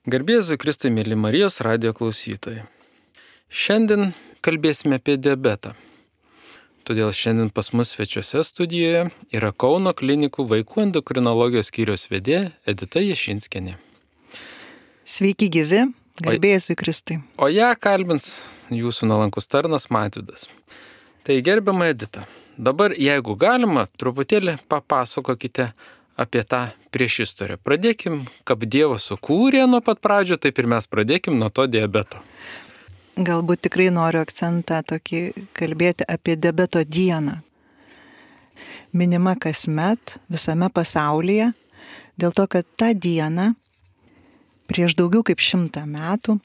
Garbė Jėzui Kristui, mėly Marijos radijo klausytojai. Šiandien kalbėsime apie diabetą. Todėl šiandien pas mus svečiuose studijoje yra Kauno klinikų vaikų endokrinologijos skyriaus vedėja Edita Jašinskienė. Sveiki gyvi, garbė Jėzui Kristui. O ją kalbins jūsų nuolankus tarnas Mažvydas. Tai gerbiama Edita, dabar jeigu galima, truputėlį papasakokite apie tą priešistorę. Pradėkim, kaip Dievas sukūrė nuo pat pradžio, taip ir mes pradėkim nuo to diabeto. Galbūt tikrai noriu akcentą tokį kalbėti apie diabeto dieną. Minima kasmet visame pasaulyje, dėl to, kad tą dieną prieš daugiau kaip 100 metų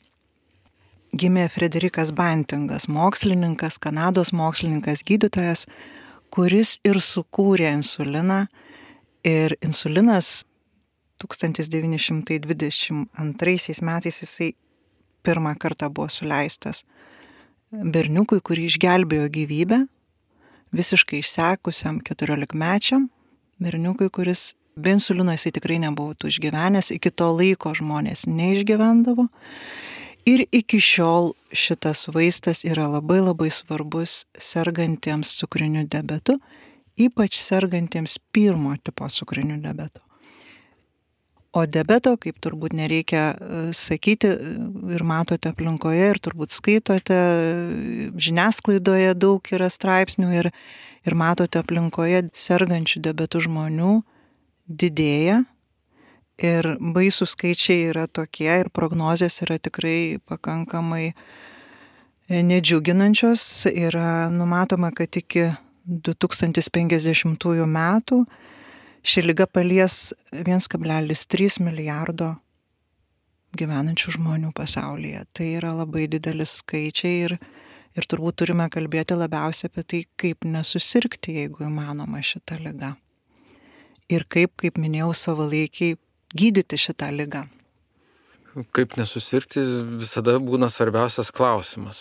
gimė Frederikas Bantingas, mokslininkas, Kanados mokslininkas, gydytojas, kuris ir sukūrė insuliną. Ir insulinas 1922 metais jisai pirmą kartą buvo suleistas berniukui, kurį išgelbėjo gyvybę, visiškai išsekusiam 14-mečiam berniukui, kuris be insulino jisai tikrai nebūtų išgyvenęs, iki to laiko žmonės neišgyvendavo. Ir iki šiol šitas vaistas yra labai labai svarbus sergantiems cukriniu diabetu, ypač sergantiems pirmo tipo cukriniu diabetu. O diabeto, kaip turbūt nereikia sakyti, ir matote aplinkoje, ir turbūt skaitote, žiniasklaidoje daug yra straipsnių ir matote aplinkoje sergančių diabetų žmonių didėja. Ir baisų skaičiai yra tokie ir prognozės yra tikrai pakankamai nedžiuginančios. Yra numatoma, kad iki 2050 metų ši liga palies 1,3 milijardo gyvenančių žmonių pasaulyje. Tai yra labai didelis skaičiai ir turbūt turime kalbėti labiausiai apie tai, kaip nesusirgti, jeigu įmanoma šitą ligą. Ir kaip minėjau, savalaikiai gydyti šitą ligą. Kaip nesusirgti visada būna svarbiausias klausimas.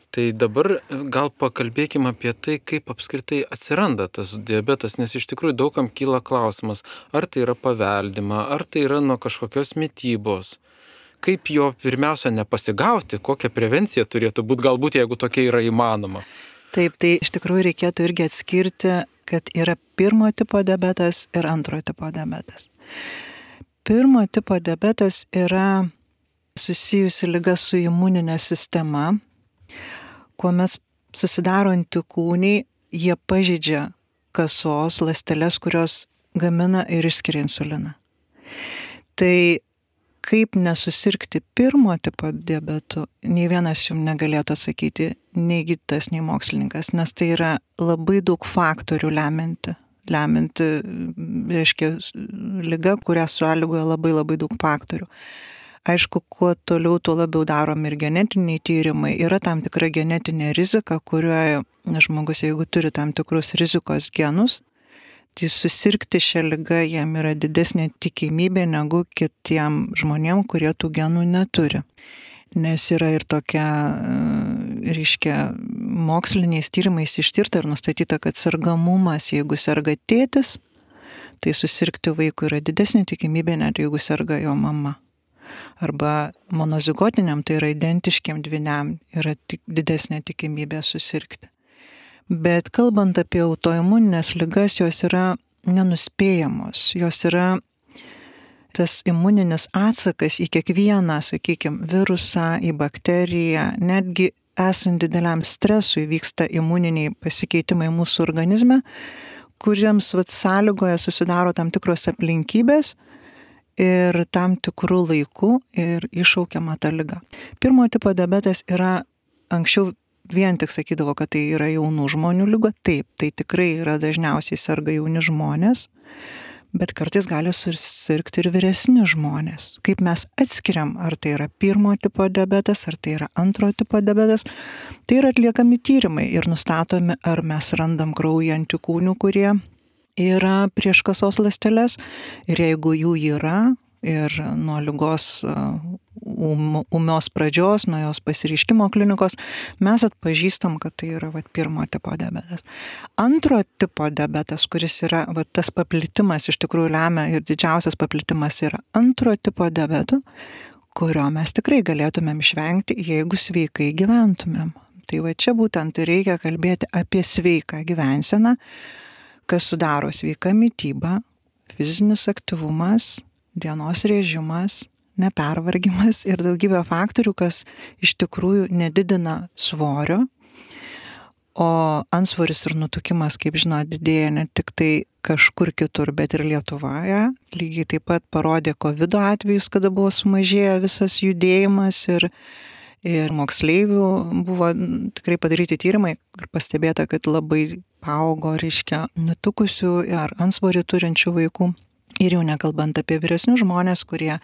Tai dabar gal pakalbėkime apie tai, kaip apskritai atsiranda tas diabetas, nes iš tikrųjų daugam kyla klausimas, ar tai yra paveldima, ar tai yra nuo kažkokios mitybos. Kaip jo pirmiausia nepasigauti, kokia prevencija turėtų būti, galbūt jeigu tokia yra įmanoma. Taip, tai iš tikrųjų reikėtų irgi atskirti, kad yra pirmo tipo diabetas ir antro tipo diabetas. Pirmo tipo diabetas yra susijusi liga su imuninė sistema, kuomet susidaro antikūniai, jie pažeidžia kasos ląsteles, kurios gamina ir išskiria insuliną. Tai kaip nesusirgti pirmo tipo diabetu, nei vienas jums negalėtų atsakyti, nei gydytojas, nei mokslininkas, nes tai yra labai daug faktorių lemianti, reiškia, liga, kurią sąlygoja labai labai daug faktorių. Aišku, kuo toliau, tuo labiau daromi ir genetiniai tyrimai. Yra tam tikra genetinė rizika, kurioje žmogus, jeigu turi tam tikrus rizikos genus, tai susirgti šią ligą jam yra didesnė tikimybė negu kitiem žmonėm, kurie tų genų neturi. Nes yra ir tokia, reiškia, moksliniais tyrimais ištirta ir nustatyta, kad sergamumas, jeigu serga tėtis, tai susirgti vaikui yra didesnė tikimybė, net jeigu serga jo mama. Arba monozigotiniam, tai yra identiškiam dvyniam, yra didesnė tikimybė susirgti. Bet kalbant apie autoimuninės ligas, jos yra nenuspėjamos. Jos yra tas imuninis atsakas į kiekvieną, sakykime, virusą, į bakteriją, netgi esant dideliam stresui vyksta imuniniai pasikeitimai mūsų organizme, kuriems sąlygoje susidaro tam tikros aplinkybės ir tam tikrų laikų ir iššaukiama ta liga. Pirmo tipo diabetas yra, anksčiau vien tik sakydavo, kad tai yra jaunų žmonių liga. Taip, tai tikrai yra dažniausiai serga jauni žmonės, bet kartais gali susirgti ir vyresni žmonės. Kaip mes atskiriam, ar tai yra pirmo tipo diabetas, ar tai yra antro tipo diabetas, tai yra atliekami tyrimai ir nustatomi, ar mes randam kraujyje antikūnių, kurie yra prieš kasos ląsteles, ir jeigu jų yra ir nuo ligos ūmios pradžios, nuo jos pasireiškimo klinikos, mes atpažįstam, kad tai yra pirmo tipo diabetas. Antro tipo diabetas, kuris yra tas paplitimas, iš tikrųjų lemia ir didžiausias paplitimas yra antro tipo diabeto, kurio mes tikrai galėtumėm išvengti, jeigu sveikai gyventumėm. Tai va čia būtent reikia kalbėti apie sveiką gyvenseną, kas sudaro sveiką mitybą, fizinis aktyvumas, dienos režimas, nepervargimas ir daugybė faktorių, kas iš tikrųjų nedidina svorio. O antsvoris ir nutukimas, kaip žinot, didėja ne tik tai kažkur kitur, bet ir Lietuvoje. Lygiai taip pat parodė COVID atvejus, kada buvo sumažėję visas judėjimas ir moksleivių buvo tikrai padaryti tyrimai ir pastebėta, kad labai paaugo, reiškia, nutukusių ar antsvorį turinčių vaikų. Ir jau nekalbant apie vyresnius žmonės, kurie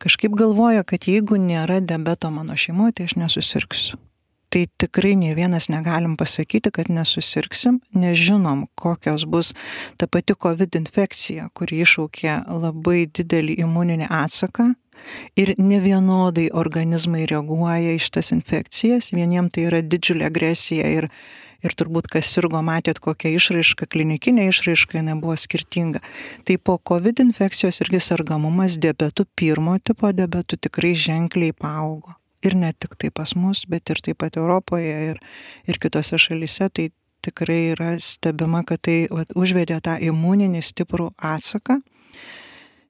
kažkaip galvoja, kad jeigu nėra diabeto mano šeimoje, tai aš nesusirgsiu. Tai tikrai nei vienas negalim pasakyti, kad nesusirgsim, nežinom, kokios bus ta pati COVID infekcija, kuri iššaukė labai didelį imuninį atsaką ir nevienodai organizmai reaguoja į šitas infekcijas. Vieniem tai yra didžiulė agresija ir turbūt kas sirgo, matėt, kokia išraiška, klinikinė išraiška, jinai buvo skirtinga. Tai po COVID infekcijos irgi sergamumas diabetu, pirmo tipo diabetu tikrai ženkliai paaugo. Ir ne tik tai pas mus, bet ir taip pat Europoje ir kitose šalyse, tai tikrai yra stebima, kad tai užvedė tą imuninį stiprų atsaką.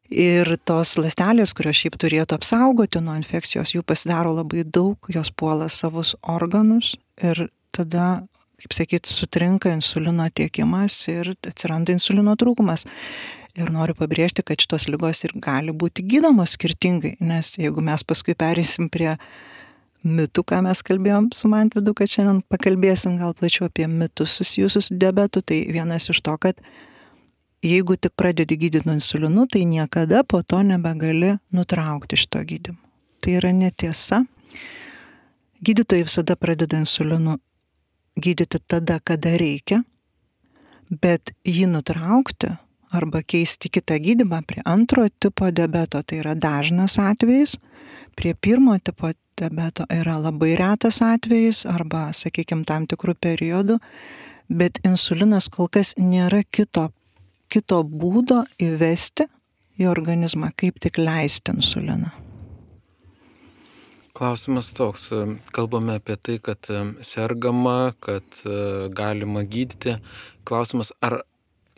Ir tos ląstelės, kurios šiaip turėtų apsaugoti nuo infekcijos, jų pasidaro labai daug, jos puola savus organus ir tada, kaip sakyti, sutrinka insulino tiekimas ir atsiranda insulino trūkumas. Ir noriu pabrėžti, kad šitos ligos ir gali būti gydomos skirtingai, nes jeigu mes paskui pereisim prie mitų, ką mes kalbėjom su Mantvydu, kad šiandien pakalbėsim gal plačiau apie mitus susijusius su diabetu, tai vienas iš to, kad jeigu tik pradedi gydyti nuo insulinu, tai niekada po to nebegali nutraukti šito gydymo. Tai yra netiesa. Gydytojai visada pradeda insulinu gydyti tada, kada reikia, bet jį nutraukti arba keisti kitą gydymą prie antro tipo diabeto, tai yra dažnas atvejis, prie pirmo tipo diabeto yra labai retas atvejis arba, sakykime, tam tikrų periodų, bet insulinas kol kas nėra kito būdo įvesti į organizmą, kaip tik leisti insuliną. Klausimas toks, kalbame apie tai, kad sergama, kad galima gydyti. Klausimas, ar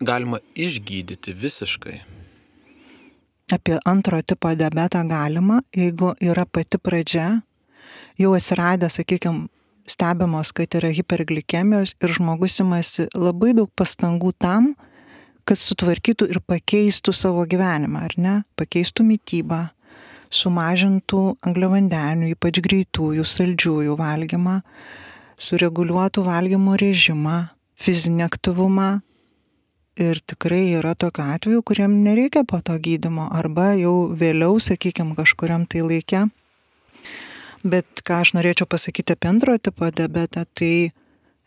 galima išgydyti visiškai? Apie antro tipo diabetą galima, jeigu yra pati pradžia, jau atsiradę, sakykime, stebimos, kad yra hiperglikemijos ir žmogus imasi labai daug pastangų tam, kad sutvarkytų ir pakeistų savo gyvenimą, ar ne? Pakeistų mitybą, sumažintų angliavandenių, ypač greitųjų, saldžiųjų valgymą, sureguliuotų valgymo režimą, fizinį aktyvumą. Ir tikrai yra tokių atvejų, kuriem nereikia po to gydymo arba jau vėliau, sakykime, kažkuriam tai laike. Bet ką aš norėčiau pasakyti apie antro tipo diabetą, tai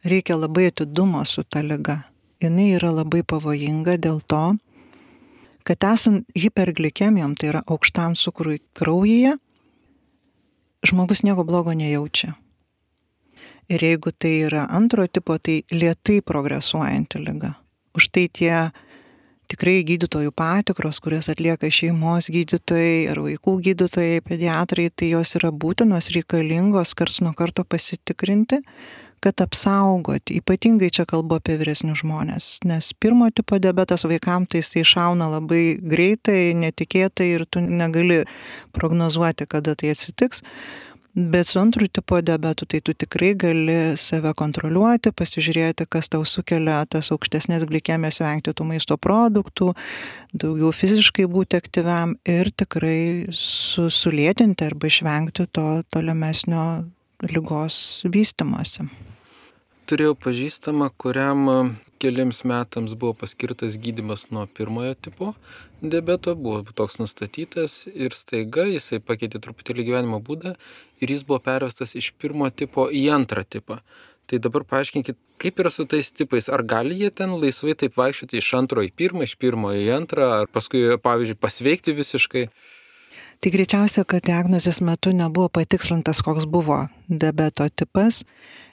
reikia labai atidumo su ta liga. Jis yra labai pavojinga dėl to, kad esant hiperglikemijom, tai yra aukštam cukrui kraujyje, žmogus nieko blogo nejaučia. Ir jeigu tai yra antro tipo, tai lėtai progresuojanti liga. Už tai tie tikrai gydytojų patikros, kurias atlieka šeimos gydytojai ar vaikų gydytojai, pediatrai, tai jos yra būtinos, reikalingos karts nuo karto pasitikrinti, kad apsaugoti. Ypatingai čia kalbu apie vyresnius žmonės, nes pirmo tipo diabetas vaikams tai jisai šauna labai greitai, netikėtai ir tu negali prognozuoti, kada tai atsitiks. Bet su antru tipo diabetu tai tu tikrai gali save kontroliuoti, pasižiūrėti, kas tau sukelia tas aukštesnės glikemijos, vengti tų maisto produktų, daugiau fiziškai būti aktyviam ir tikrai sulėtinti arba išvengti to tolimesnio ligos vystymosi. Turėjau pažįstamą, kuriam keliams metams buvo paskirtas gydymas nuo pirmojo tipo diabeto, buvo toks nustatytas ir staiga jisai pakeitė truputėlį gyvenimo būdą ir jis buvo pervestas iš pirmo tipo į antrą tipą. Tai dabar paaiškinkit, kaip yra su tais tipais, ar gali jie ten laisvai taip vaikščioti iš antro į pirmą, iš pirmo į antrą, ar paskui, pavyzdžiui, pasveikti visiškai? Tai greičiausia, kad diagnozės metu nebuvo patikslintas, koks buvo diabeto tipas.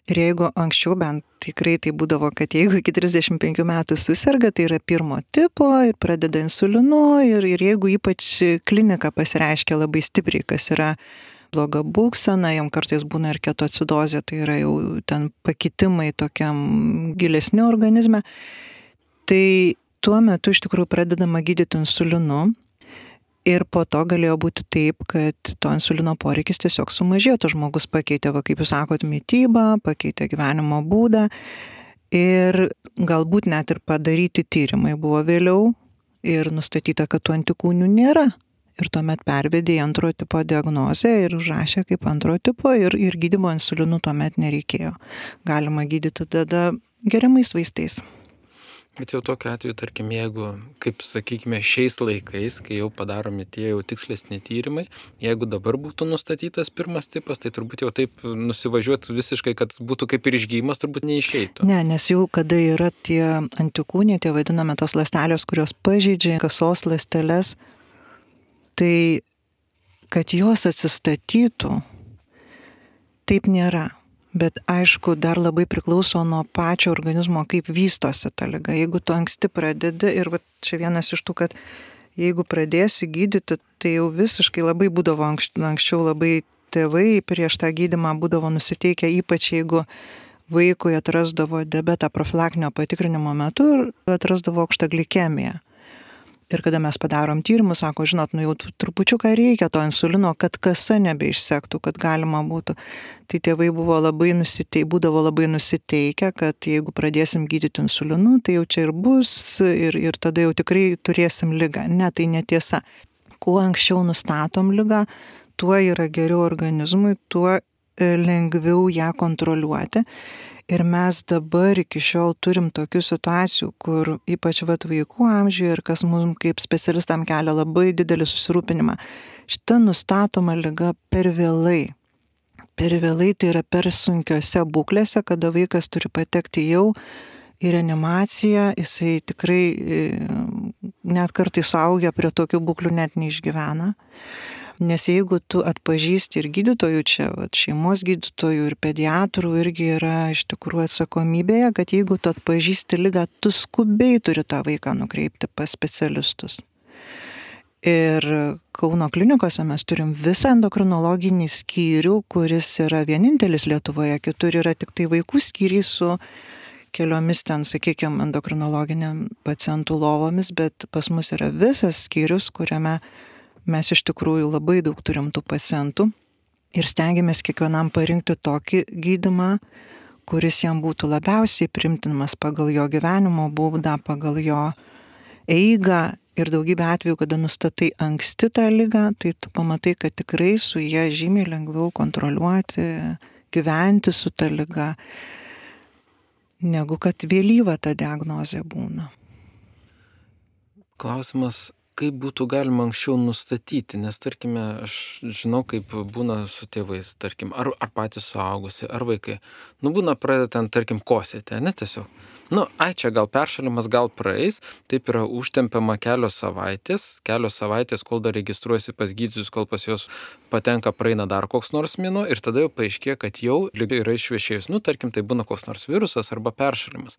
Ir jeigu anksčiau bent tikrai tai būdavo, kad jeigu iki 35 metų susirga, tai yra pirmo tipo ir pradeda insulinu ir jeigu ypač klinika pasireiškia labai stipriai, kas yra bloga būksena, jam kartais būna ir ketoacidozė, tai yra jau ten pakitimai tokiam gilesniu organizme, tai tuo metu iš tikrųjų pradedama gydyti insulinu. Ir po to galėjo būti taip, kad to insulino poreikis tiesiog sumažėjo, tas žmogus pakeitė, kaip jūs sakot, mitybą, pakeitė gyvenimo būdą ir galbūt net ir padaryti tyrimai buvo vėliau ir nustatyta, kad tų antikūnių nėra. Ir tuomet pervedė į antrojo tipo diagnozę ir užrašė kaip antrojo tipo ir gydymo insulinu tuomet nereikėjo. Galima gydyti tada geriamais vaistais. Bet jau tokiu atveju, tarkim, jeigu, kaip sakykime, šiais laikais, kai jau padaromi tie jau tikslesni tyrimai, jeigu dabar būtų nustatytas pirmas tipas, tai turbūt jau taip nusivažiuoti visiškai, kad būtų kaip ir išgyjimas, turbūt neišeitų. Ne, nes jau kada yra tie antikūniai, tie vadiname tos ląstelės, kurios pažeidžia kasos ląsteles, tai kad jos atsistatytų, taip nėra. Bet aišku, dar labai priklauso nuo pačio organizmo, kaip vystosi ta liga. Jeigu tu anksti pradedi, ir čia vienas iš tų, kad jeigu pradėsi gydyti, tai jau visiškai labai būdavo anksčiau labai tėvai prieš tą gydymą būdavo nusiteikę, ypač jeigu vaikui atrasdavo diabetą profilaktinio patikrinimo metu ir atrasdavo aukštą glikemiją. Ir kada mes padarom tyrimus, sako, žinot, jau trupučiuką reikia to insulino, kad kasa nebeišsektų, kad galima būtų. Tai tėvai būdavo labai nusiteikę, kad jeigu pradėsim gydyti insulinu, tai jau čia ir bus ir tada jau tikrai turėsim ligą. Ne, tai netiesa. Kuo anksčiau nustatom ligą, tuo yra geriau organizmui, tuo lengviau ją kontroliuoti. Ir mes dabar iki šiol turim tokių situacijų, kur ypač vaikų amžiuje ir kas mums kaip specialistam kelia labai didelį susirūpinimą. Šita nustatoma liga per vėlai. Per vėlai tai yra per sunkiose būklėse, kada vaikas turi patekti jau į reanimaciją, jisai tikrai net kartais suaugę prie tokių būklių net neišgyvena. Nes jeigu tu atpažįsti ir gydytojų čia, šeimos gydytojų ir pediatrų irgi yra iš tikrųjų atsakomybėje, kad jeigu tu atpažįsti ligą, tu skubiai turi tą vaiką nukreipti pas specialistus. Ir Kauno klinikose mes turim visą endokrinologinį skyrių, kuris yra vienintelis Lietuvoje, kitur yra tik tai vaikų skyriai su keliomis ten, sakykime, endokrinologiniam pacientų lovomis, bet pas mus yra visas skyrius, kuriame mes iš tikrųjų labai daug turim tų pacientų ir stengiamės kiekvienam parinkti tokį gydymą, kuris jam būtų labiausiai priimtinamas pagal jo gyvenimo būdą, pagal jo eigą ir daugybę atvejų, kada nustatai anksti tą ligą, tai tu pamatai, kad tikrai su ją žymiai lengviau kontroliuoti, gyventi su ta liga, negu kad vėlyva ta diagnozė būna. Klausimas, kaip būtų galima anksčiau nustatyti, nes tarkime, aš žinau, kaip būna su tėvais, tarkim, ar patys suaugusi, ar vaikai. Būna pradeda ten, tarkim, kosėti, ne tiesiog. Čia gal peršalimas, gal praeis, taip yra užtempiama kelios savaitės, kol dar registruojasi pas gydytojus, kol pas juos patenka, praeina dar koks nors mėnuo ir tada jau paaiškėja, kad jau liga yra išvešėjus. Tarkim, tai būna koks nors virusas arba peršalimas.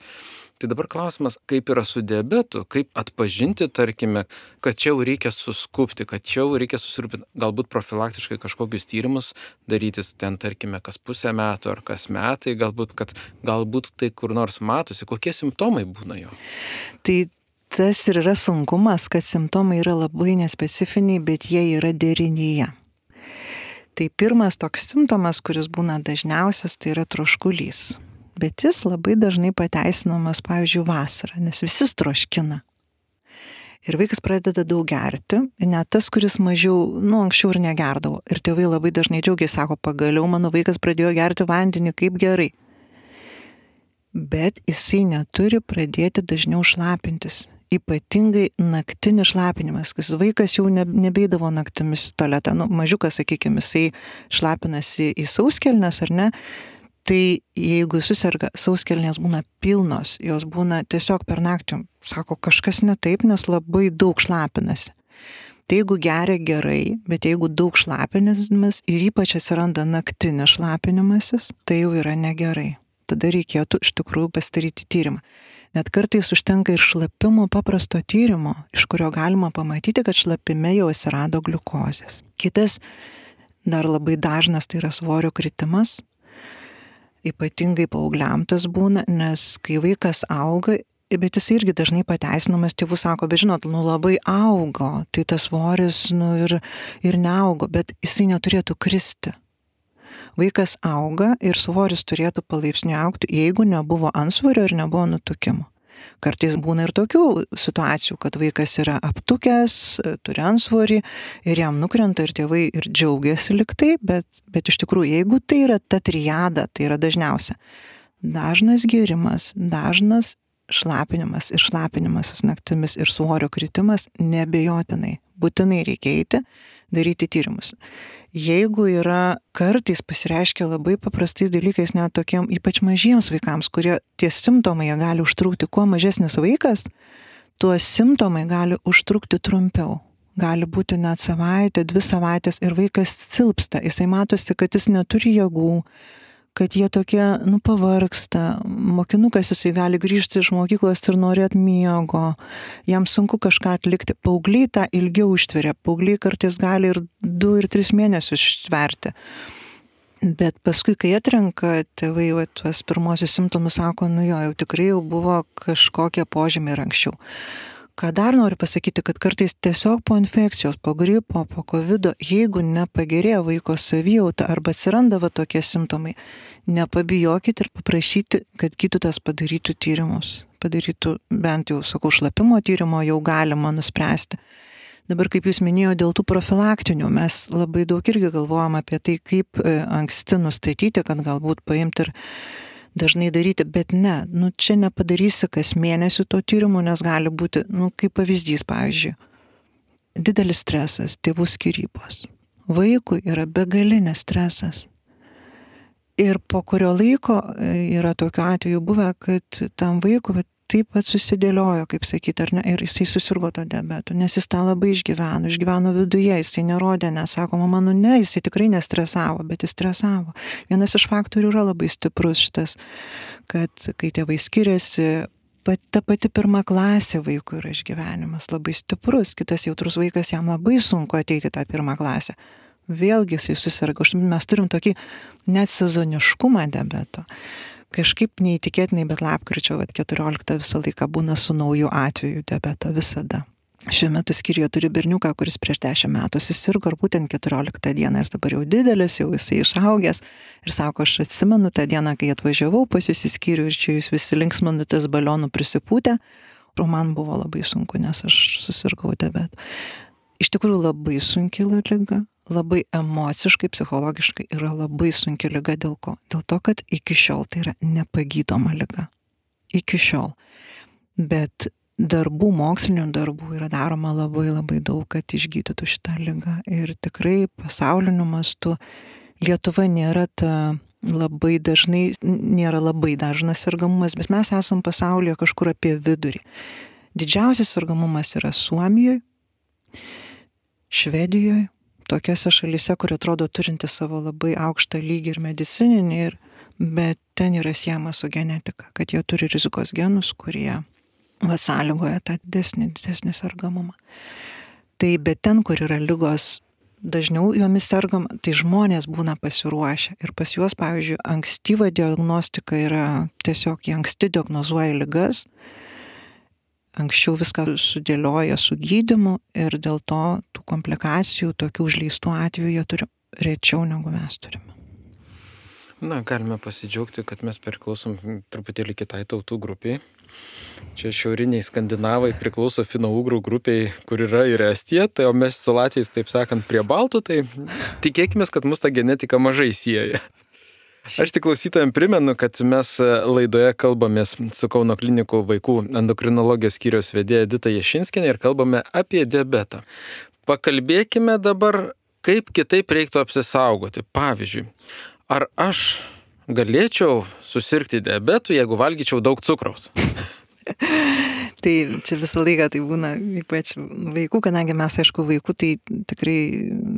Tai dabar klausimas, kaip yra su diabetu, kaip atpažinti, tarkime, kad čia jau reikia suskubti, kad čia jau reikia susirūpinti, galbūt profilaktiškai kažkokius tyrimus darytis ten, tarkime, kas pusę metų ar kas metai, galbūt tai kur nors matosi, kokie simptomai būna jo. Tai tas ir yra sunkumas, kad simptomai yra labai nespecifiniai, bet jie yra derinyje. Tai pirmas toks simptomas, kuris būna dažniausias, tai yra troškulys. Bet jis labai dažnai pateisinamas, pavyzdžiui, vasarą, nes visi troškina. Ir vaikas pradeda daug gerti, net tas, kuris mažiau, anksčiau ir negerdavo. Ir tėvai labai dažnai džiaugiasi, sako, pagaliau mano vaikas pradėjo gerti vandenį, kaip gerai. Bet jisai neturi pradėti dažniau šlapintis. Ypatingai naktinis šlapinimas, kas vaikas jau nebeidavo naktimis į tualetą. Mažiukas, sakykime, jisai šlapinasi į sauskelnes, ar ne? Tai jeigu suserga, sauskelnės būna pilnos, jos būna tiesiog per naktį, sako, kažkas ne taip, nes labai daug šlapinasi. Tai jeigu geria gerai, bet jeigu daug šlapinimas ir ypač atsiranda naktinis šlapinimasis, tai jau yra negerai. Tada reikėtų iš tikrųjų pasidaryti tyrimą. Net kartais užtenka ir šlapimo paprasto tyrimo, iš kurio galima pamatyti, kad šlapime jau atsirado gliukozės. Kitas dar labai dažnas tai yra svorio kritimas. Ypatingai paaugliam tas būna, nes kai vaikas auga, bet jis irgi dažnai pateisinamas, tėvų sako, bet žinot, labai augo, tai tas svoris ir neaugo, bet jisai neturėtų kristi. Vaikas auga ir svoris turėtų palaipsniui augti, jeigu nebuvo antsvorio ir nebuvo nutukimo. Kartais būna ir tokių situacijų, kad vaikas yra aptukęs, turi antsvorį ir jam nukrenta ir tėvai ir džiaugiasi liktai, bet iš tikrųjų, jeigu tai yra ta triada, tai yra dažniausia. Dažnas gėrimas, dažnas šlapinimas ir šlapinimasis naktimis ir svorio kritimas neabejotinai. Būtinai reikia eiti, daryti tyrimus. Jeigu yra kartais pasireiškia labai paprastais dalykais, net tokiem ypač mažiems vaikams, kurie tie simptomai gali užtrukti, kuo mažesnis vaikas, tuo simptomai gali užtrukti trumpiau. Gali būti net savaitę, 2 savaitės ir vaikas silpsta, jisai matosi, kad jis neturi jėgų, kad jie tokie, pavargsta, mokinukas jisai gali grįžti iš mokyklos ir norėt miego, jam sunku kažką atlikti. Paaugliai tą ilgiau ištveria, paaugliai kartais gali ir 2 ir 3 mėnesius ištverti. Bet paskui, kai atrenka tėvai tuos pirmosius simptomus, sako, jau tikrai jau buvo kažkokie požymiai ir anksčiau. Ką dar noriu pasakyti, kad kartais tiesiog po infekcijos, po gripo, po covido, jeigu nepagerėjo vaiko savijauta arba atsiranda tokie simptomai, nepabijokit ir paprašyti, kad gydytojas padarytų tyrimus. Padarytų bent jau, šlapimo tyrimo jau galima nuspręsti. Dabar, kaip jūs minėjote, dėl tų profilaktinių, mes labai daug irgi galvojam apie tai, kaip anksti nustatyti, kad galbūt paimti ir dažnai daryti, bet ne, čia nepadarysi kas mėnesį to tyrimo, nes gali būti, kaip pavyzdys, pavyzdžiui, didelis stresas, tėvų skyrybos. Vaikui yra begalinis stresas. Ir po kurio laiko yra tokiu atveju buvę, kad tam vaikui taip pat susidėliojo, kaip sakyti, ar ne, ir jisai susirgo to diabetu, nes jis tą labai išgyveno viduje, jisai nerodė, nesako, mama, ne, jisai tikrai nestresavo, bet jis stresavo. Vienas iš faktorių yra labai stiprus šitas, kad kai tėvai skiriasi, ta pati 1 klasė vaikų yra išgyvenimas labai stiprus, kitas jautrus vaikas, jam labai sunku ateiti tą 1 klasę. Vėlgi jisai susirga, mes turim tokį net sezoniškumą diabeto. Kažkaip neįtikėtinai, bet lapkričio 14 visą laiką būna su nauju atveju diabeto visada. Šiuo metu skyriuje turi berniuką, kuris prieš 10 metų susirgo ir būtent 14 dieną, jis dabar jau didelis, jau jisai išaugęs ir sako, aš atsimenu tą dieną, kai atvažiavau pas jūs į skyrių ir čia jūs visi linksminutės balionų prisipūtę, o man buvo labai sunku, nes aš susirgau diabetu. Iš tikrųjų labai sunki liga. Labai emociškai, psichologiškai yra labai sunki liga. Dėl ko? Dėl to, kad iki šiol tai yra nepagydoma liga. Iki šiol. Bet mokslinių darbų yra daroma labai labai daug, kad išgydytų šitą ligą. Ir tikrai pasauliniu mastu Lietuva nėra labai dažnas sergamumas, bet mes esam pasaulyje kažkur apie vidurį. Didžiausias sergamumas yra Suomijoje, Švedijoje, tokiose šalyse, kur atrodo turinti savo labai aukštą lygį ir medicininį, bet ten yra siejama su genetika, kad jie turi rizikos genus, kurie sąlygoja tą didesnį sergamumą. Tai bet ten, kur yra ligos, dažniau jomis sergama, tai žmonės būna pasiruošę. Ir pas juos, pavyzdžiui, ankstyva diagnostika yra tiesiog, jie anksti diagnozuoja ligas, anksčiau viską sudėlioja su gydymu ir dėl to tų komplikacijų, tokių užleistų atvejų jie turi rečiau negu mes turime. Galime pasidžiaugti, kad mes priklausom truputėlį kitai tautų grupiai. Čia šiauriniai skandinavai priklauso fino-ugrų grupiai, kur yra ir Estija, tai o mes su latviais, taip sakant, prie baltų, tai tikėkime, kad mus ta genetika mažai sieja. Aš tik klausytojams primenu, kad mes laidoje kalbamės su Kauno klinikų vaikų endokrinologijos skyriaus vedėja Edita Jašinskienė ir kalbame apie diabetą. Pakalbėkime dabar, kaip kitaip reiktų apsisaugoti. Pavyzdžiui, ar aš galėčiau susirgti diabetu, jeigu valgyčiau daug cukraus? Tai čia visą laiką tai būna, ypač vaikų, kadangi mes, aišku, vaikų, tai tikrai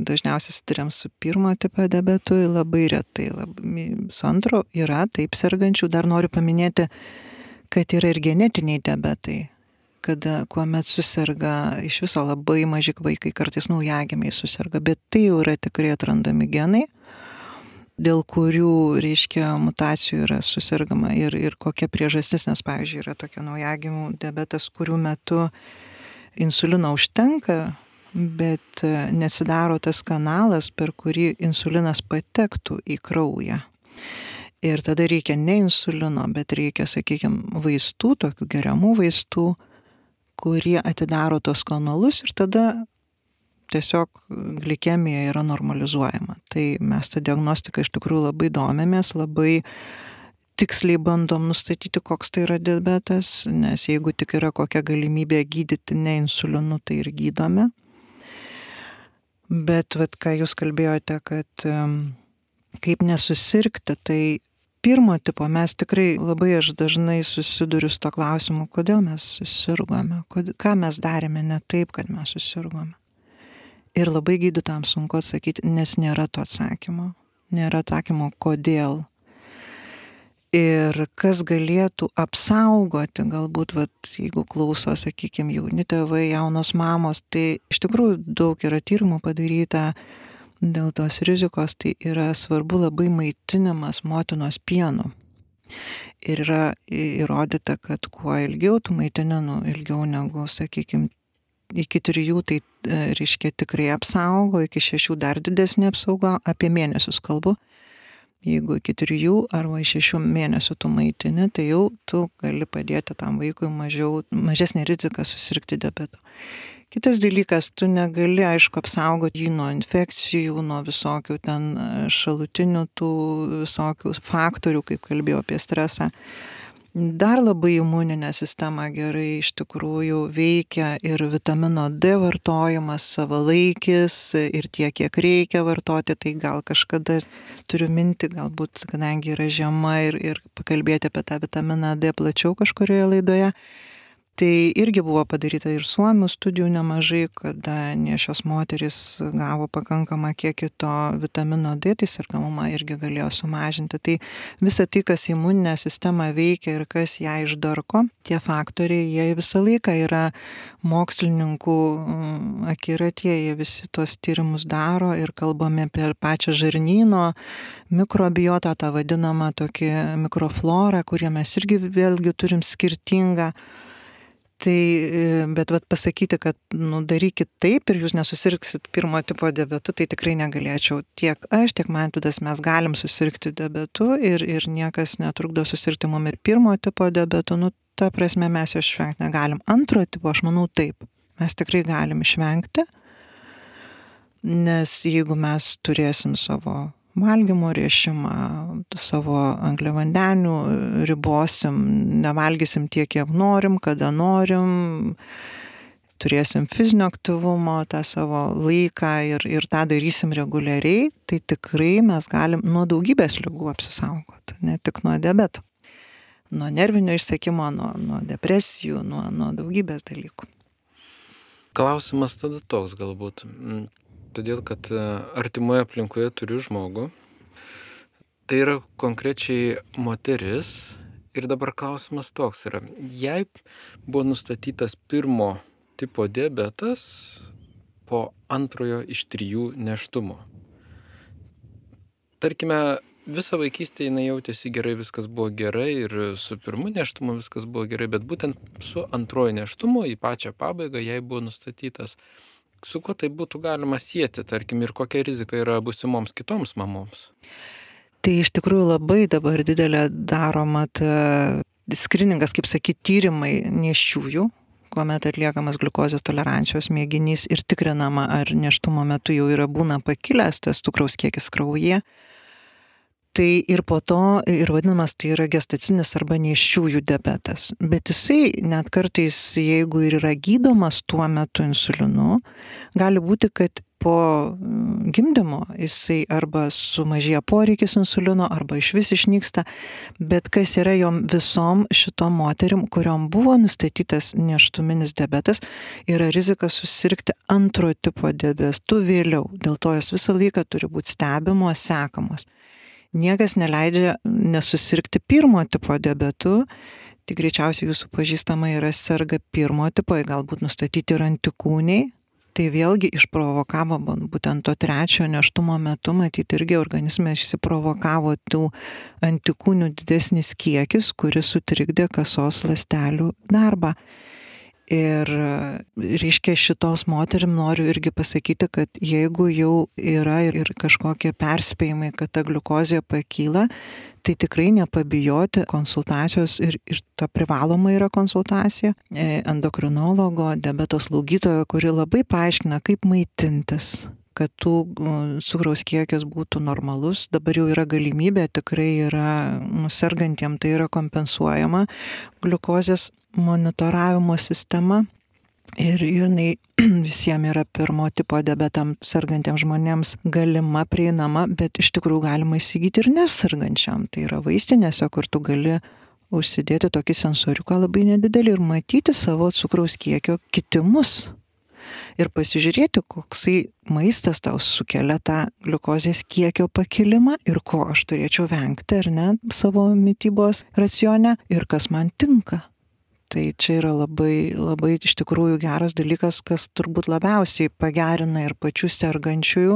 dažniausiai susiduriam su pirmo tipo diabetu, labai retai. Su antro yra taip sergančių. Dar noriu paminėti, kad yra ir genetiniai diabetai, kada kuomet susirga iš viso labai maži vaikai, kartais naujagimiai susirga, bet tai jau yra tikrai atrandami genai, dėl kurių, reiškia, mutacijų yra susirgama ir kokia priežastis, nes, pavyzdžiui, yra tokia naujagimių diabetas, kurių metu insulino užtenka, bet nesidaro tas kanalas, per kurį insulinas patektų į kraują. Ir tada reikia ne insulino, bet reikia, sakykime, vaistų, tokių geriamų vaistų, kurie atidaro tos kanalus ir tada tiesiog glikemija yra normalizuojama. Tai mes tą diagnostiką iš tikrųjų labai domėmės, labai tiksliai bandom nustatyti, koks tai yra diabetas, nes jeigu tik yra kokia galimybė gydyti ne insulinu, tai ir gydome. Bet ką jūs kalbėjote, kad kaip nesusirgti, tai pirmo tipo mes tikrai labai aš dažnai susiduriu su to klausimu, kodėl mes susirgome, ką mes darėme ne taip, kad mes susirgome. Ir labai gydytojams sunku atsakyti, nes nėra to atsakymo. Nėra atsakymo, kodėl. Ir kas galėtų apsaugoti, galbūt, jeigu klauso, sakykime, jauni tėvai, jaunos mamos, tai iš tikrųjų daug yra tyrimų padaryta dėl tos rizikos, tai yra svarbu labai maitinimas motinos pienu. Ir yra įrodyta, kad kuo ilgiau tu maitini, ilgiau negu, sakykime, iki 3, tai reiškia tikrai apsaugo, iki 6 dar didesnė apsauga, apie mėnesius kalbu. Jeigu iki 3 arba 6 mėnesių tu maitini, tai jau tu gali padėti tam vaikui mažesnė rizika susirgti diabetu. Kitas dalykas, tu negali, aišku, apsaugoti jį nuo infekcijų, nuo visokių ten šalutinių tų visokių faktorių, kaip kalbėjau apie stresą. Dar labai imuninė sistema gerai iš tikrųjų veikia ir vitamino D vartojimas savalaikis ir tiek, kiek reikia vartoti, tai gal kažkada turiu mintį, galbūt, kadangi yra žiema ir pakalbėti apie tą vitaminą D plačiau kažkurioje laidoje. Tai irgi buvo padaryta ir Suomių studijų nemažai, kada nėščios moterys gavo pakankamą kiekį to vitamino D, tai sergamumą irgi galėjo sumažinti. Tai visa tai, kas imuninę sistemą veikia ir kas ją išdarko, tie faktoriai, jie visą laiką yra mokslininkų akiratyje, jie visi tuos tyrimus daro ir kalbame apie pačią žarnyno mikrobiotą, tą vadinamą tokį mikroflorą, kurie mes irgi vėlgi turim skirtingą. Tai, bet pasakyti, kad darykit taip ir jūs nesusirgsit pirmo tipo diabetu, tai tikrai negalėčiau. Tiek aš, tiek Mantvydas mes galim susirgti diabetu ir niekas netrukdo susirgti mum ir pirmo tipo diabetu. Ta prasme mes jo išvengti negalim. Antro tipo, aš manau, taip. Mes tikrai galim išvengti, nes jeigu mes turėsim savo valgymo režimą, savo angliavandenių ribosim, nevalgysim tiek, kiek norim, kada norim, turėsim fizinio aktyvumo tą savo laiką ir tą darysim reguliariai, tai tikrai mes galim nuo daugybės ligų apsisaugoti, ne tik nuo diabeto, nuo nervinio išsekimo, nuo depresijų, nuo daugybės dalykų. Klausimas tada toks galbūt. Todėl, kad artimoje aplinkoje turiu žmogų, tai yra konkrečiai moteris ir dabar klausimas toks yra, jei buvo nustatytas pirmo tipo diabetas po antrojo iš 3 nėštumo. Tarkime, visą vaikystę jinai jautėsi gerai, viskas buvo gerai ir su pirmu nėštumu viskas buvo gerai, bet būtent su antrojo nėštumu į pačią pabaigą jai buvo nustatytas. Su kuo tai būtų galima sieti, tarkim, ir kokia rizika yra būsimoms kitoms mamoms? Tai iš tikrųjų labai dabar didelė daroma skriningas, kaip sakyti, tyrimai nėščiųjų, kuomet atliekamas gliukozės tolerancijos mėginys ir tikrinama, ar nėštumo metu jau būna pakilęs tas cukraus kiekis kraujyje. Tai ir po to ir vadinamas tai yra gestacinis arba nėščiųjų diabetas. Bet jisai net kartais, jeigu ir yra gydomas tuo metu insulinu, gali būti, kad po gimdymo jisai arba sumažėja poreikis insulino, arba išvis išnyksta. Bet kas yra jom visom šitom moterim, kuriom buvo nustatytas nėštuminis diabetas, yra rizika susirgti antro tipo diabetu vėliau. Dėl to jos visą laiką turi būti stebimos, sekamos. Niekas neleidžia nesusirgti pirmo tipo diabetu, tik greičiausiai jūsų pažįstama yra serga pirmo tipo, galbūt nustatyti ir antikūniai. Tai vėlgi išprovokavo būtent to trečio nėštumo metu, matyti irgi organizme išsiprovokavo tų antikūnių didesnis kiekis, kuris sutrikdė kasos ląstelių darbą. Ir reiškia šitos moterim noriu irgi pasakyti, kad jeigu jau yra ir kažkokie perspėjimai, kad ta gliukozė pakyla, tai tikrai nepabijoti konsultacijos ir ta privaloma yra konsultacija endokrinologo, diabeto slaugytojo, kuri labai paaiškina, kaip maitintis, kad tų cukraus kiekis būtų normalus. Dabar jau yra galimybė, tikrai yra sergantiem, tai yra kompensuojama gliukozės monitoravimo sistema ir jinai visiems yra pirmo tipo diabetam sergantiems žmonėms galima, prieinama, bet iš tikrųjų galima įsigyti ir nesergančiam. Tai yra vaistinėse, kur tu gali užsidėti tokį sensoriuką labai nedidelį ir matyti savo cukraus kiekio kitimus. Ir pasižiūrėti, koksai maistas tau sukelia tą gliukozės kiekio pakilimą ir ko aš turėčiau vengti, ar ne, savo mitybos racione ir kas man tinka. Tai čia yra labai, labai iš tikrųjų geras dalykas, kas turbūt labiausiai pagerina ir pačių sergančiųjų,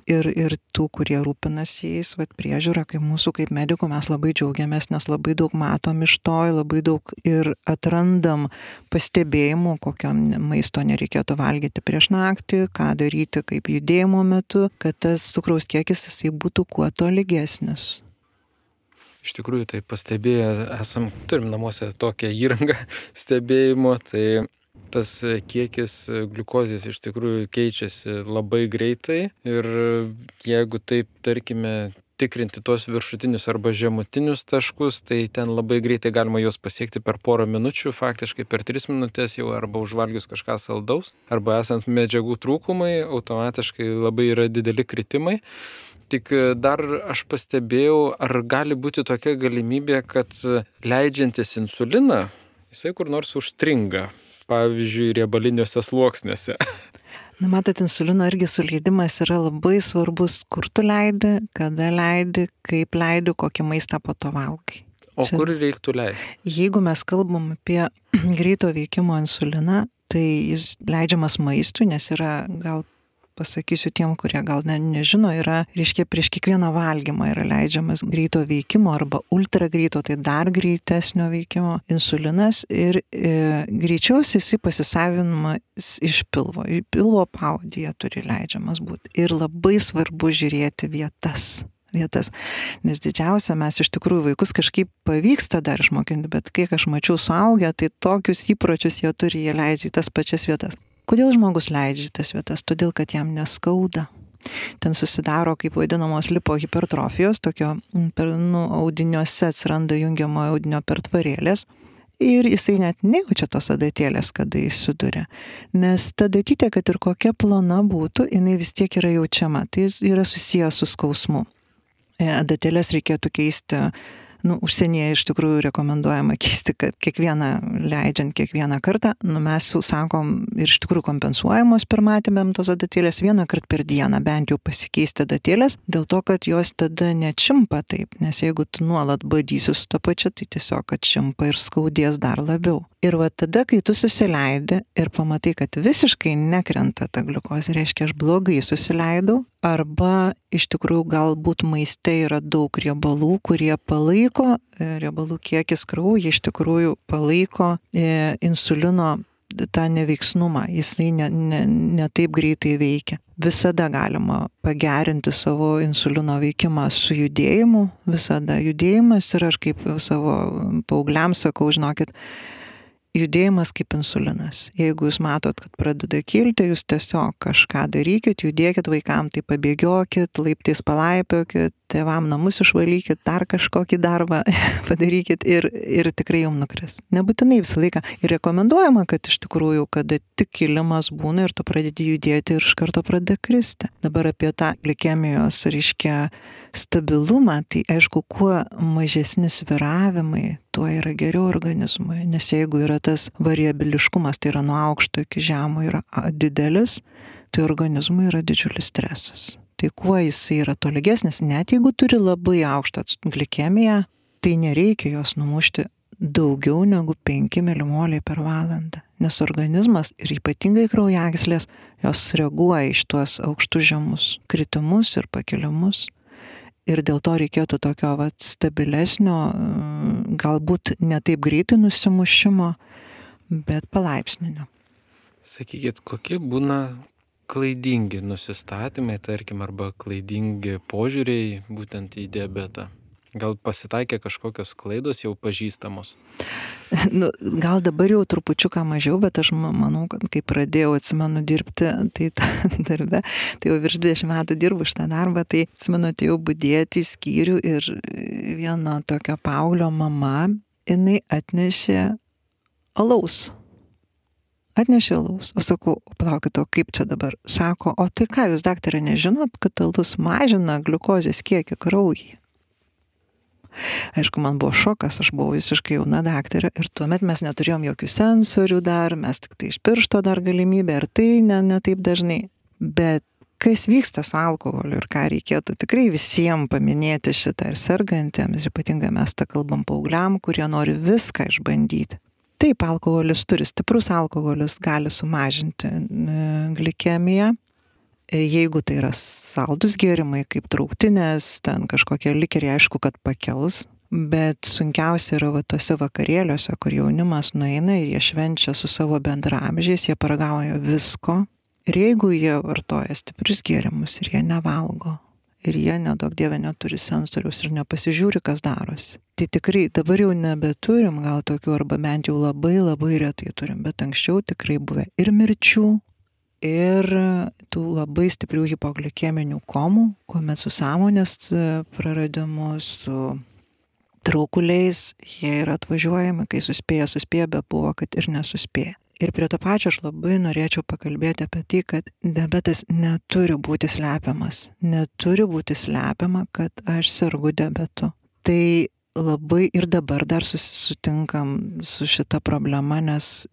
ir tų, kurie rūpinasi jais, priežiūra, kaip mūsų, kaip medikų, mes labai džiaugiamės, nes labai daug matom iš to, labai daug ir atrandam pastebėjimų, kokio maisto nereikėtų valgyti prieš naktį, ką daryti, kaip judėjimo metu, kad tas cukraus kiekis jisai būtų kuo tolygesnis. Iš tikrųjų, tai pastebėję turim namuose tokią įrangą stebėjimo, tai tas kiekis gliukozės iš tikrųjų keičiasi labai greitai ir jeigu taip, tarkime, tikrinti tos viršutinius arba žemutinius taškus, tai ten labai greitai galima juos pasiekti per porą minučių, faktiškai per 3 minutės jau arba užvalgius kažką saldaus, arba esant medžiagų trūkumai, automatiškai labai yra dideli kritimai. Tik dar aš pastebėjau, ar gali būti tokia galimybė, kad leidžiantis insuliną, jisai kur nors užstringa, pavyzdžiui, riebaliniuose sluoksniuose. Na, matot, insulino irgi suleidimas yra labai svarbus, kur tu leidi, kada leidi, kaip leidi, kokį maistą po to valgai. O kur reiktų leisti? Jeigu mes kalbam apie greito veikimo insuliną, tai jis leidžiamas maistui, nes yra gal pasakysiu tiem, kurie gal nežino, yra, reiškia, prieš kiekvieną valgymą yra leidžiamas greito veikimo arba ultra greito, tai dar greitesnio veikimo insulinas ir greičiausiai jisai pasisavinamas iš pilvo. Pilvo pavadyje turi leidžiamas būti. Ir labai svarbu žiūrėti vietas, nes didžiausia, mes iš tikrųjų vaikus kažkaip pavyksta dar išmokinti, bet kiek aš mačiau suaugę, tai tokius įpročius jie turi, jie leidžia į tas pačias vietas. Kodėl žmogus leidžia tas vietas? Todėl, kad jam neskauda. Ten susidaro, kaip vadinamos lipohipertrofijos, tokio audiniuose atsiranda jungiamojo audinio pertvarėlės ir jisai net nejaučia tos adatėlės, kada jis suduria. Nes ta adatytė, kad ir kokia plona būtų, jinai vis tiek yra jaučiama. Tai yra susijęs su skausmu. Adatėlės reikėtų keisti. Užsienyje iš tikrųjų rekomenduojama keisti, kad leidžiant kiekvieną kartą, mes jau sakom ir iš tikrųjų kompensuojamos pirmatėm tos adatėlės vieną kartą per dieną, bent jau pasikeisti adatėlės, dėl to, kad jos tada nečimpa taip, nes jeigu tu nuolat badysi su to pačiu, tai tiesiog atšimpa ir skaudės dar labiau. Ir va tada, kai tu susileidi ir pamatai, kad visiškai nekrenta ta gliukozė, reiškia, aš blogai susileidau, arba iš tikrųjų galbūt maiste yra daug riebalų, kurie palaiko, riebalų kiekis kraujyje iš tikrųjų palaiko insulino tą neveiksnumą, jisai ne taip greitai veikia. Visada galima pagerinti savo insulino veikimą su judėjimu, visada judėjimas ir aš kaip savo paaugliams sakau, žinokit, judėjimas kaip insulinas. Jeigu jūs matot, kad pradeda kilti, jūs tiesiog kažką darykit, judėkit vaikam, tai pabėgiokit, laiptais palaipiokit, tėvam namus išvalykit, dar kažkokį darbą padarykit ir tikrai jums nukris. Nebūtinai visą laiką. Ir rekomenduojama, kad iš tikrųjų, kada tik kilimas būna ir tu pradedi judėti ir iš karto pradeda kristi. Dabar apie tą glikemijos, reiškia, stabilumą, tai aišku, kuo mažesni svyravimai, tuo yra geriau organizmui. Nes jeigu yra tas variabiliškumas, tai yra nuo aukšto iki žemo yra didelis, tai organizmui yra didžiulis stresas. Tai kuo jisai yra tolygesnis, net jeigu turi labai aukštą glikemiją, tai nereikia jos numušti daugiau negu 5 milimoliai per valandą. Nes organizmas ir ypatingai kraujagyslės, jos reaguoja iš tuos aukštus žemus kritimus ir pakilimus. Ir dėl to reikėtų tokio stabilesnio, galbūt ne taip greitai nusimušimo, bet palaipsninio. Sakykit, kokie būna klaidingi nusistatymai, tarkim, arba klaidingi požiūriai būtent į diabetą? Gal pasitaikė kažkokios klaidos jau pažįstamos? Gal dabar jau trupučiuką mažiau, bet aš manau, kad kai pradėjau, atsimenu, dirbti, tai darbe, tai jau virš 20 metų dirbu šitą darbą, tai atsimenu, atėjau budėti į skyrių ir vieno tokio paauglio mama, jinai atnešė alaus. O sakau, palaukit, o kaip čia dabar? Sako, o tai ką jūs, daktarė, nežinot, kad alus mažina gliukozės kiekį kraujyje? Aišku, man buvo šokas, aš buvau visiškai jauna daktarė ir tuomet mes neturėjom jokių sensorių dar, mes tik tai iš piršto dar galimybę ir tai ne taip dažnai. Bet kas vyksta su alkoholiu ir ką reikėtų tikrai visiems paminėti šitą ir sergantiems, ypatingai mes tą kalbam paaugliam, kurie nori viską išbandyti. Taip, alkoholis stiprus alkoholis gali sumažinti glikemiją. Jeigu tai yra saldus gėrimai, kaip trauktinės, ten kažkokie likeriai, aišku, kad pakels. Bet sunkiausia yra tose vakarėliuose, kur jaunimas nueina ir jie švenčia su savo bendraamžiais, jie paragauja visko. Ir jeigu jie vartoja stiprius gėrimus ir jie nevalgo, ir jie, nedaug dieve, neturi sensoriaus ir nepasižiūri, kas darosi. Tai tikrai dabar jau nebeturim gal tokių, arba bent jau labai labai retai turim, bet anksčiau tikrai buvę ir mirčių, ir tų labai stiprių hipoglikeminių komų, kuomet su sąmonės praradimu, su traukuliais, jie yra atvažiuojami, kai suspėja, bet buvo, kad ir nesuspėja. Ir prie to pačio aš labai norėčiau pakalbėti apie tai, kad diabetas neturi būti slepiamas. Neturi būti slepiama, kad aš sergu diabetu. Tai labai ir dabar dar sutinkam su šita problema, nes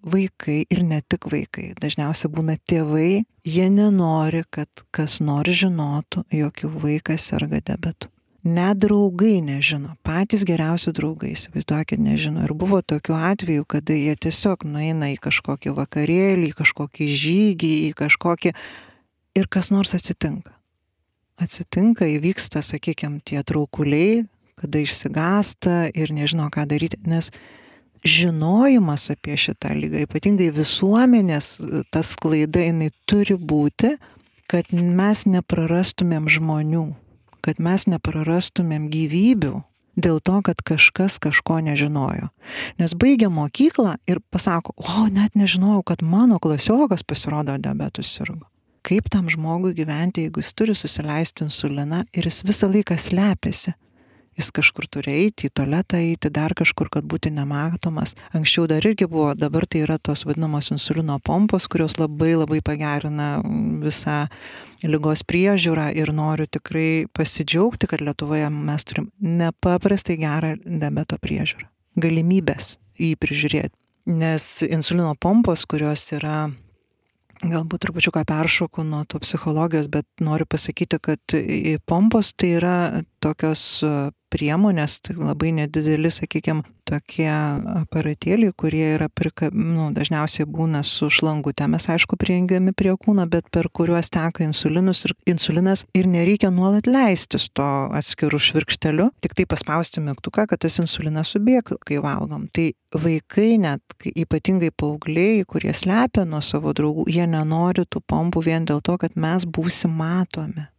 vaikai ir ne tik vaikai, dažniausiai būna tėvai, jie nenori, kad kas nors žinotų, jog jų vaikas serga diabetu. Net draugai nežino, patys geriausi draugai, įsivaizduokit, nežino. Ir buvo tokių atvejų, kada jie tiesiog nueina į kažkokį vakarėlį, į kažkokį žygį, į kažkokį ir kas nors atsitinka. Atsitinka, įvyksta, sakykime, tie traukuliai, kada išsigąsta ir nežino, ką daryti, nes žinojimas apie šitą ligą, ypatingai visuomenės, tas sklaida, jinai turi būti, kad mes neprarastumėm žmonių, kad mes neprarastumėm gyvybių dėl to, kad kažkas kažko nežinojo. Nes baigia mokyklą ir pasako, net nežinojau, kad mano klasiokas pasirodo diabetu sirgo. Kaip tam žmogui gyventi, jeigu jis turi susileisti insuliną ir jis visą laiką slepiasi? Jis kažkur turi eiti, į tualetą eiti, dar kažkur, kad būti nematomas. Anksčiau dar irgi buvo, dabar tai yra tos vadinamos insulino pompos, kurios labai labai pagerina visą ligos priežiūrą ir noriu tikrai pasidžiaugti, kad Lietuvoje mes turim nepaprastai gerą diabeto priežiūrą. Galimybės jį prižiūrėti. Nes insulino pompos, kurios yra, galbūt trupučiuką peršoku nuo to psichologijos, bet noriu pasakyti, kad pompos tai yra tokios priemonės, tai labai nedideli, sakykime, tokie aparatėliai, kurie yra dažniausiai būna su šlangutėmis, aišku, prijungiami prie kūno, bet per kuriuos teka insulinas ir nereikia nuolat leistis to atskirų švirkšteliu, tik tai paspausti mygtuką, kad tas insulinas subėgtų, kai valgom. Tai vaikai net, ypatingai paaugliai, kurie slepia nuo savo draugų, jie nenori tų pompų vien dėl to, kad mes būsim matomi.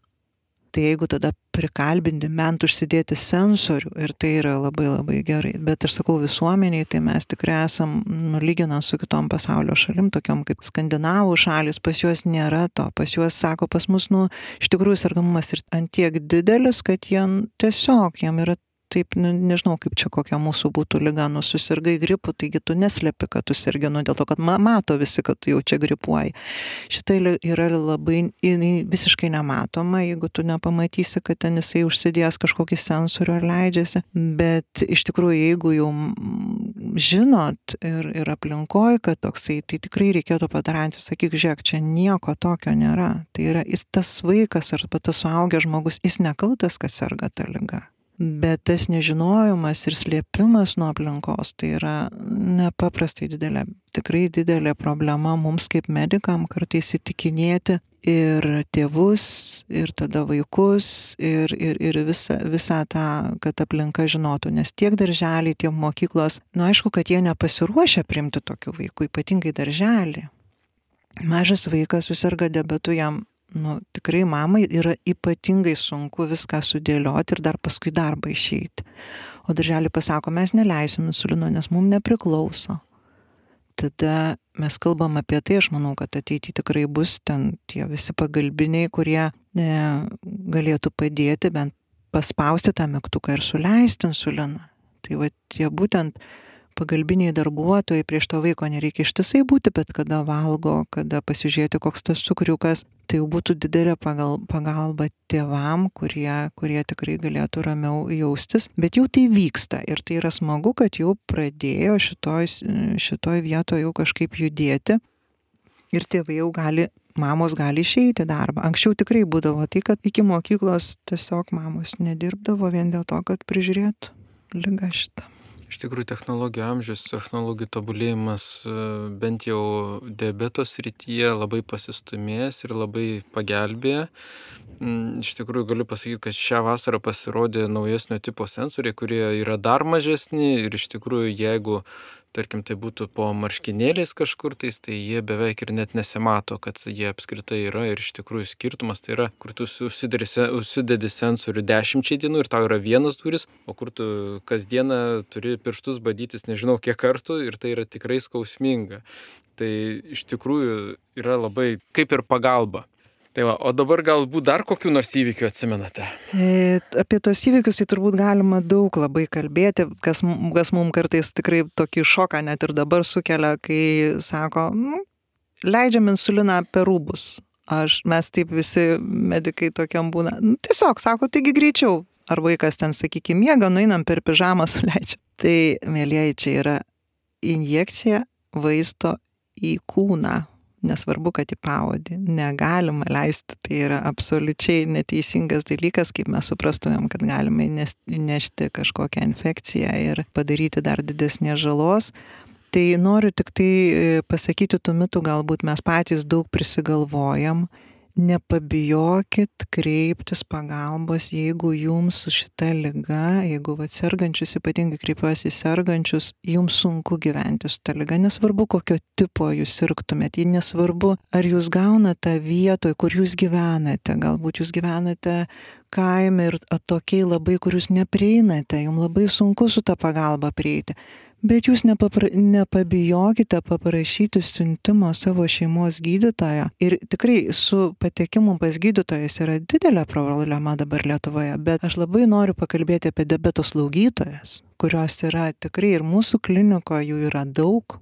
Tai jeigu tada prikalbinti bent užsidėti sensorių, ir tai yra labai labai gerai. Bet aš sakau, visuomeniai, tai mes tikrai esam, lyginant su kitom pasaulio šalim, tokiom kaip skandinavų šalis, pas juos nėra to. Pas juos, sako, pas mus, iš tikrųjų sergamumas ir ant tiek didelis, kad tiesiog jam yra taip, nežinau, kaip čia kokia mūsų būtų liga, susirgai gripu, taigi tu neslepi, kad tu sergi, dėl to, kad mato visi, kad tu jau čia gripuoji. Šitą yra labai, visiškai nematoma, jeigu tu nepamatysi, kad ten jisai užsidėjęs kažkokį sensorių ar leidžiasi, bet iš tikrųjų, jeigu jau žinot ir aplinkoj, kad toksai, tai tikrai reikėtų padaryti, sakyk, žiūrėk, čia nieko tokio nėra. Tai yra, tas vaikas ar tas suaugęs žmogus, jis nekaltas, kad serga ta liga. Bet tas nežinojimas ir slėpimas nuo aplinkos, tai yra nepaprastai didelė, tikrai didelė problema mums kaip medikam kartais įtikinėti ir tėvus, ir tada vaikus, ir visą tą, kad aplinka žinotų. Nes tiek darželiai, tiek mokyklos, aišku, kad jie nepasiruošia priimti tokių vaikų, ypatingai darželį. Mažas vaikas susirga diabetu, jam tikrai mamai yra ypatingai sunku viską sudėlioti ir dar paskui darbą išeiti. O darželį pasako, mes neleisim insulino, nes mums nepriklauso. Tada mes kalbam apie tai, aš manau, kad ateityje tikrai bus ten tie visi pagalbiniai, kurie galėtų padėti bent paspausti tą mygtuką ir suleisti insuliną. Tai tie būtent pagalbiniai darbuotojai, prieš to vaiko nereikia ištisai būti, bet kada valgo, kada pasižiūrėti, koks tas cukriukas, tai jau būtų didelė pagalba tėvam, kurie tikrai galėtų ramiau jaustis. Bet jau tai vyksta ir tai yra smagu, kad jau pradėjo šitoj vietoje jau kažkaip judėti ir tėvai jau mamos gali išeiti į darbą. Anksčiau tikrai būdavo tai, kad iki mokyklos tiesiog mamos nedirbdavo vien dėl to, kad prižiūrėtų ligą šitą. Iš tikrųjų, technologijų amžius, technologijų tobulėjimas bent jau diabeto srityje labai pasistumėjęs ir labai pagelbėjo. Iš tikrųjų, galiu pasakyti, kad šią vasarą pasirodė naujesnio tipo sensoriai, kurie yra dar mažesni ir iš tikrųjų, jeigu tarkim, tai būtų po marškinėliais kažkur tais, tai jie beveik ir net nesimato, kad jie apskritai yra ir iš tikrųjų skirtumas tai yra, kur tu užsidedi sensorių 10 dienų ir tau yra vienas duris, o kur tu kasdieną turi pirštus badytis nežinau kiek kartų ir tai yra tikrai skausminga. Tai iš tikrųjų yra labai kaip ir pagalba. Tai va, o dabar galbūt dar kokių nors įvykių atsimenate? Apie tos įvykius tai turbūt galima daug labai kalbėti, kas mums kartais tikrai tokį šoką net ir dabar sukelia, kai sako, leidžiam insuliną per rūbus. Mes taip visi medikai tokiam būna. Tiesiog sako, taigi greičiau. Ar vaikas ten, sakykime, miega, nueinam per pižamą suleidžiam. Tai, mielieji, čia yra injekcija vaisto į kūną. Nesvarbu, kad į pavadį. Negalima leisti, tai yra absoliučiai neteisingas dalykas, kaip mes suprastumėm, kad galime įnešti kažkokią infekciją ir padaryti dar didesnės žalos. Tai noriu tik tai pasakyti tų mitų, galbūt mes patys daug prisigalvojam. Nepabijokit kreiptis pagalbos, jeigu jums su šita liga, jeigu sergančius, ypatingai kreipiuosi į sergančius, jums sunku gyventi su ta liga, nesvarbu kokio tipo jūs sirgtumėt, nesvarbu ar jūs gaunate vietoje, kur jūs gyvenate, galbūt jūs gyvenate kaime ir atokiai labai, kur jūs neprieinate, jums labai sunku su ta pagalba prieiti. Bet jūs nepabijokite paprašyti siuntimo savo šeimos gydytojo. Ir tikrai su patekimu pas gydytojas yra didelė problema dabar Lietuvoje. Bet aš labai noriu pakalbėti apie diabeto slaugytojas, kurios yra tikrai ir mūsų klinikoje jų yra daug.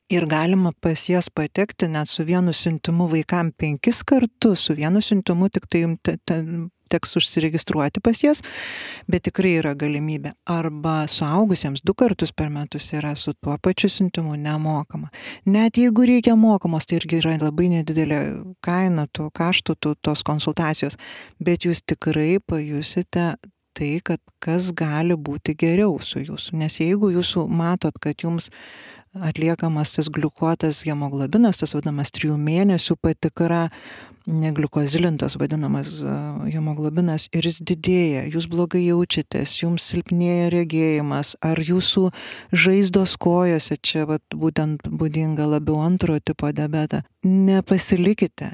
Ir galima pas jas patekti net su vienu siuntimu vaikam 5 kartus, su vienu siuntimu tik tai teks užsiregistruoti pas jas, bet tikrai yra galimybė. Arba suaugusiems 2 kartus per metus yra su tuo pačiu siuntimu nemokama. Net jeigu reikia mokamos, tai irgi yra labai nedidelė kaina, kaštų tos konsultacijos, bet jūs tikrai pajusite tai, kad kas gali būti geriau su jūsų. Nes jeigu jūsų matot, kad jums atliekamas tas gliukuotas hemoglobinas, tas vadinamas 3 mėnesių patikra, negliukozilintas vadinamas hemoglobinas ir jis didėja, jūs blogai jaučiatės, jums silpnėja regėjimas, ar jūsų žaizdos kojose, čia vat, būtent būdinga labiau antrojo tipo diabetą. Nepasilikite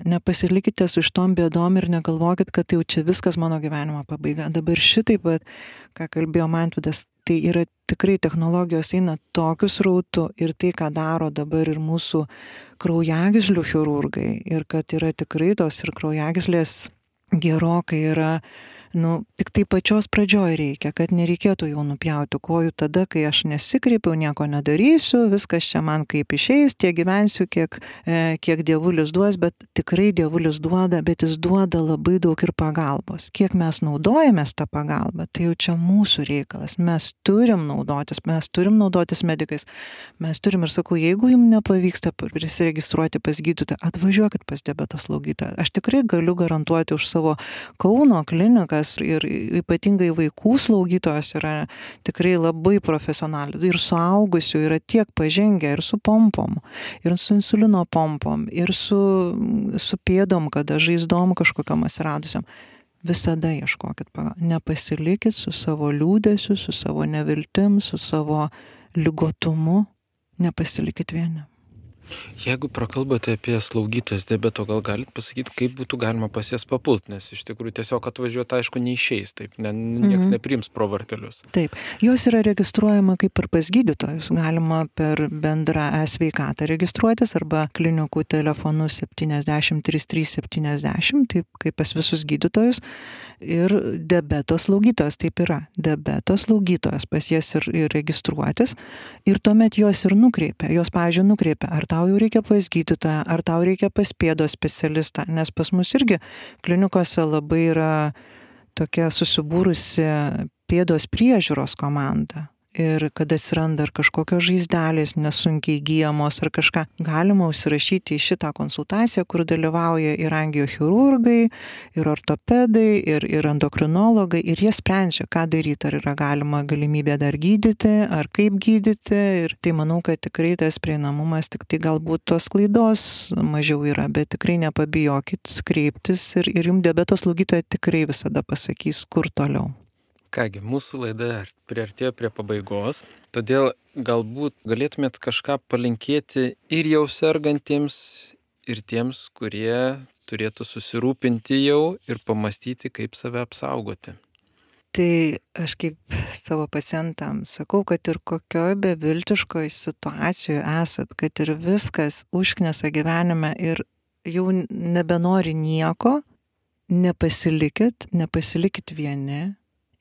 su šitom bėdom ir negalvokit, kad jau čia viskas mano gyvenimo pabaiga. Dabar šitaip, ką kalbėjo Mantvydas, tai yra tikrai technologijos eina tokius rautu ir tai, ką daro dabar ir mūsų kraujagyslių chirurgai ir kad yra tikrai tos ir kraujagyslės gerokai yra, tik tai pačios pradžioj reikia, kad nereikėtų jau nupjauti kojų tada, kai aš nesikreipiau, nieko nedarysiu, viskas čia man kaip išeis, tiek gyvensiu, kiek dievulis duos, bet tikrai dievulis duoda, bet jis duoda labai daug ir pagalbos. Kiek mes naudojamės tą pagalbą, tai jau čia mūsų reikalas. Mes turim naudotis medikais. Mes turim ir sakau, jeigu jums nepavyksta prisiregistruoti pas gydytoją, atvažiuokit pas diabeto slaugytoją. Aš tikrai galiu garantuoti už savo Kauno kliniką ir ypatingai vaikų slaugytojos yra tikrai labai profesionaliai. Ir suaugusių yra tiek pažengę ir su pompom, ir su insulino pompom, ir su pėdom, kada žaizdom kažkokiam atsiradusiam. Visada ieškokit pagalbos. Nepasilikit su savo liūdesiu, su savo neviltim, su savo ligotumu. Nepasilikit vieni. Jeigu prakalbate apie slaugytas diabeto, gal galit pasakyti, kaip būtų galima pas jas papult, nes iš tikrųjų tiesiog atvažiuoti, aišku, neišeis, taip, nieks nepriims pro vartelius. Taip, jos yra registruojama kaip ir pas gydytojus, galima per bendrą e-sveikatą registruotis arba klinikų telefonu 703370, taip kaip pas visus gydytojus, ir diabeto slaugytojas, taip yra, diabeto slaugytojas pas jas ir registruotis, ir tuomet jos ir nukreipia, pavyzdžiui, nukreipia, ar tau jau reikia pas gydytoją, ar tau reikia pas pėdos specialistą, nes pas mus irgi klinikose labai yra tokia susibūrusi pėdos priežiūros komanda. Ir kada atsiranda ar kažkokios žaizdelės nesunkiai gyjamos ar kažką, galima užsirašyti į šitą konsultaciją, kur dalyvauja ir angiochirurgai, ir ortopedai, ir endokrinologai, ir jie sprendžia, ką daryti, ar yra galima galimybė dar gydyti, ar kaip gydyti. Ir tai manau, kad tikrai tas prieinamumas, tik tai galbūt tos klaidos mažiau yra, bet tikrai nepabijokit kreiptis ir jums diabeto slaugytoja tikrai visada pasakys, kur toliau. Kągi, mūsų laida priartėjo prie pabaigos, todėl galbūt galėtumėt kažką palinkėti ir jau sergantiems, ir tiems, kurie turėtų susirūpinti jau ir pamastyti, kaip save apsaugoti. Tai aš kaip savo pacientams sakau, kad ir kokioje beviltiškoje situacijoje esat, kad ir viskas užknisa gyvenime ir jau nebenori nieko, nepasilikit vieni.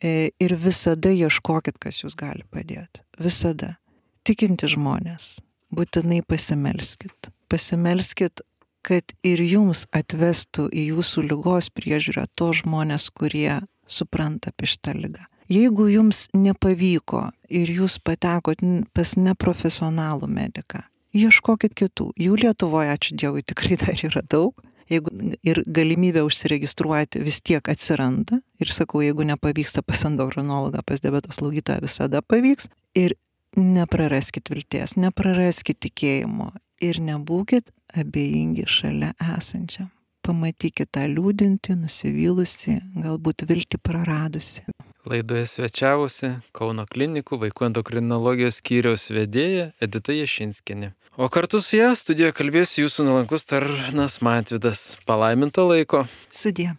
Ir visada ieškokit, kas jūs gali padėti. Visada. Tikinti žmonės. Būtinai pasimelskit. Pasimelskit, kad ir jums atvestų į jūsų ligos priežiūrą tos žmonės, kurie supranta apie šitą ligą. Jeigu jums nepavyko ir jūs patekot pas neprofesionalų mediką, ieškokit kitų. Jų Lietuvoje, ačiū Dievui, tikrai dar yra daug. Jeigu ir galimybė užsiregistruoti vis tiek atsiranda, ir sakau, jeigu nepavyksta pas endokrinologą, pas diabeto slaugytoją, visada pavyks, ir nepraraskit vilties, nepraraskit tikėjimo ir nebūkit abejingi šalia esančiam. Pamatykit tą liūdintį, nusivylusi, galbūt viltį praradusi. Laidoje svečiavosi Kauno klinikų vaikų endokrinologijos skyriaus vedėja Edita Jašinskienė. O kartu su ją studijoje kalbės jūsų nuolankus tarnas Mantvydas. Palaiminto laiko. Sudie.